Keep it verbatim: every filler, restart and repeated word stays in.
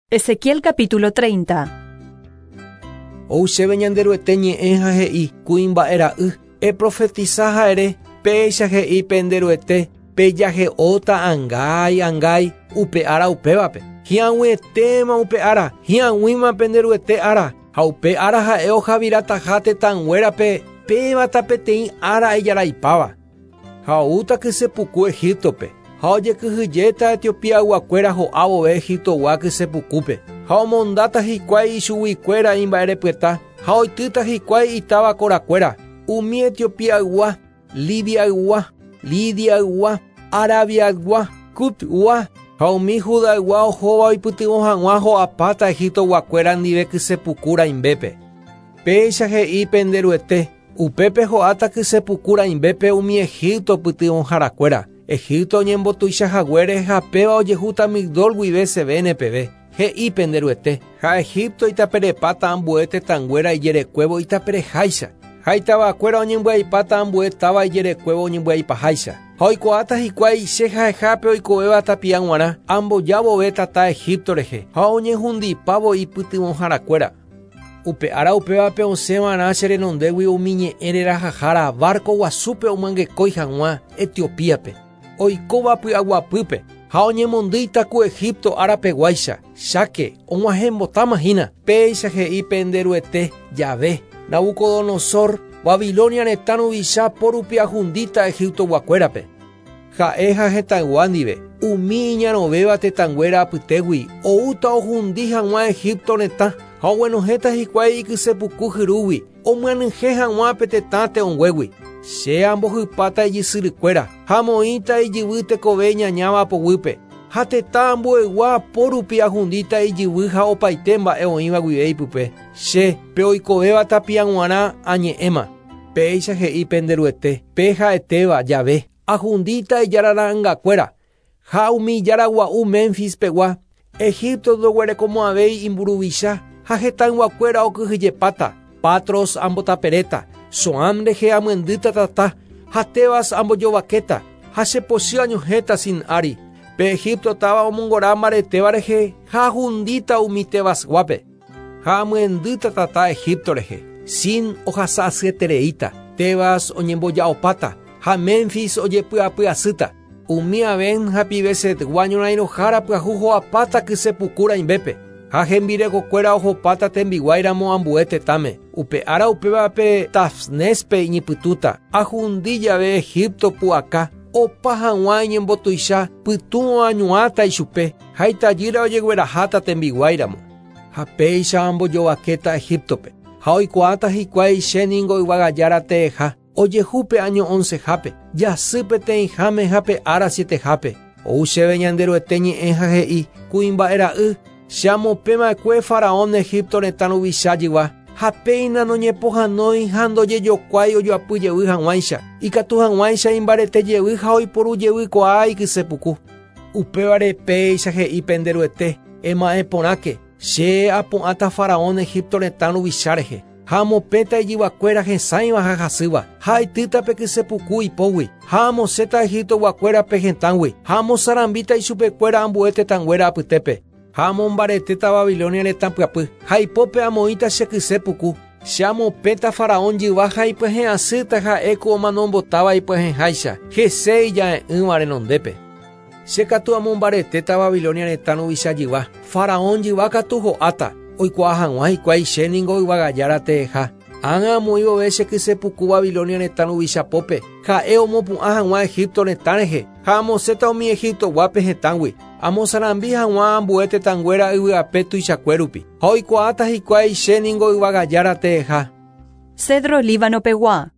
Ezequiel capítulo treinta. Ou chéve Ñanderuete ñe'ẽ ha he'i kuimba'e ra'y eprofetiza ha'ere péicha he'i pende Ruete pejahe'óta angái angái upe ára upévape hi'ag̃uietéma upe ára hi'ag̃uíma pende Ruete ára ha upe ára ha'e ojavirataha tetãnguérape pévata peteĩ ára ijaraipáva ha oúta kysepuku Egiptope ha ojekyhyjéta Etiopiayguakuéra ho'a vove Egiptogua kysepukúpe ha omondáta hikuái ichuguikuéra imba'erepyeta ha oitýta hikuái itáva korakuéra umi Etiopiaygua, Libiaygua, Lidiaygua, Arabiaygua, Cutgua ha umi Judaygua ohóva oipytyvõ hag̃ua ho'apáta Egiptoguakuéra ndive kysepuku rãimbépe. Péicha he'i pende Ruete upépe ho'áta kysepuku rãimbépe umi Egipto pytyvõharakuéra. Egipto oñembotuicha haguére ha péva ojehúta Migdol guive Sevene peve. He'i pende Ruete ha Egipto itaperepáta ambue tetãnguéra ijerekuévo itapereháicha ha itavakuéra oñembyaipáta ambue táva ijerekuévo oñembyaipaháicha ha oikuaáta hikuái che ha'ehápe oikovéva tapia g̃uarã amboja vove tata Egipto rehe ha oñehundipávo ipytyvõharakuéra. Upe ára upévape osẽva'erã che renondégui umi ñe'ẽ rerahahára barco guasúpe omyangekói hag̃ua Etiopíape oikóva py'aguapýpe ha oñemondýita ku Egipto árapeguáicha cháke og̃uahẽmbotáma hína péicha he'i pende Ruete jave Nabucodonosor Babilonia retã ruvicha porupi ahundíta Egiptoguakuérape ha'e ha hetãygua ndive umi iñarõvéva tetãnguéra apytégui oúta ohundi hag̃ua Egipto retã ha oguenohẽta hikuái ikysepuku hyrúgui omyanyhẽ hag̃ua pe tetã te'õnguégui che ambohypáta ijysyrykuéra ha amoĩta ijyvy tekove ñañáva poguýpe ha tetã ambuegua porupi ahundíta ijyvy ha opaite mba'e oĩva guive ipype che pe oikovéva tapia g̃uarã añe'ẽma péicha he'i pende Ruete pe ha'etéva jave ahundíta ijarara'ãngakuéra ha umi ijaragua'u Memphis-pegua Egipto ndoguerekomo'ãvéi imburuvicha ha hetãyguakuéra okyhyjepáta Patros ambotaperéta Soam rehe amyendýta tata ha Tebas ambojovakéta ha chepochy añohẽta Sin ári pe Egipto táva omongora mbaretéva rehe ha ahundíta umi Tebasguápe ha amyendýta tata Egipto rehe Sin ohasa asyetereíta Tebas oñemboja'opáta ha Memphis ojepy'apy'asýta umi Aven ha Pibesetgua ñorãirõhára pyahu ho'apáta kysepuku rãimbépe ha hembirekokuéra ohopáta tembiguáiramo ambue tetãme upe ára upévape Tafnespe iñipytũta ahundi jave Egipto pu'aka opa hag̃ua iñembotuicha pytũ oañuãta ichupe ha itajýra ojegueraháta tembiguáiramo ha péicha ambojovakéta Egiptope ha oikuaáta hikuái che ningo yvagajára teeha ojehúpe año oncehápe jasy peteĩháme ha pe ára sietehápe ou chéve Ñanderuete ñe'ẽ ha he'i kuimba'e ra'y che amopẽva'ekue faraón Egipto retã ruvicha jyva ha péina noñepohãnói ha ndojejokuái ojoapy jevy hag̃uáicha ikatu hag̃uáicha imbarete jevy ha oiporu jevykuaa ikysepuku upévare péicha he'i pende Ruete ema'ẽ porãke che apu'ãta faraón Egipto retã ruvicha rehe ha amopẽta ijyvakuéra hesãiva ha hasýva ha aitýta pe kysepuku ipógui ha amosẽta Egiptoguakuérape hetãgui ha amosarambíta ichupekuéra ambue tetãnguéra apytépe ha amombaretéta Babilonia retã pyapy ha ipópe amoĩta che kysepuku che amopẽta faraón jyva ha ipyahẽ'asýta ha'e ku omanombotáva ipyahẽháicha hese ija'e'ỹva renondépe che katu amombaretéta Babilonia retã ruvicha jyva faraón jyva katu ho'áta oikuaa hag̃ua hikuái che ningo yvagajára teeha ág̃a amoĩ vove che kysepuku Babilonia retã ruvicha pópe ha'e omopu'ã hag̃ua Egipto retã rehe ha amosẽta umi Egiptoguápe hetãgui amosarambi hag̃ua ambue tetãnguéra yvy'ape tuichakue rupi ha oikuaáta hikuái che ningo yvagajára teeha. Cedro Líbano pegua.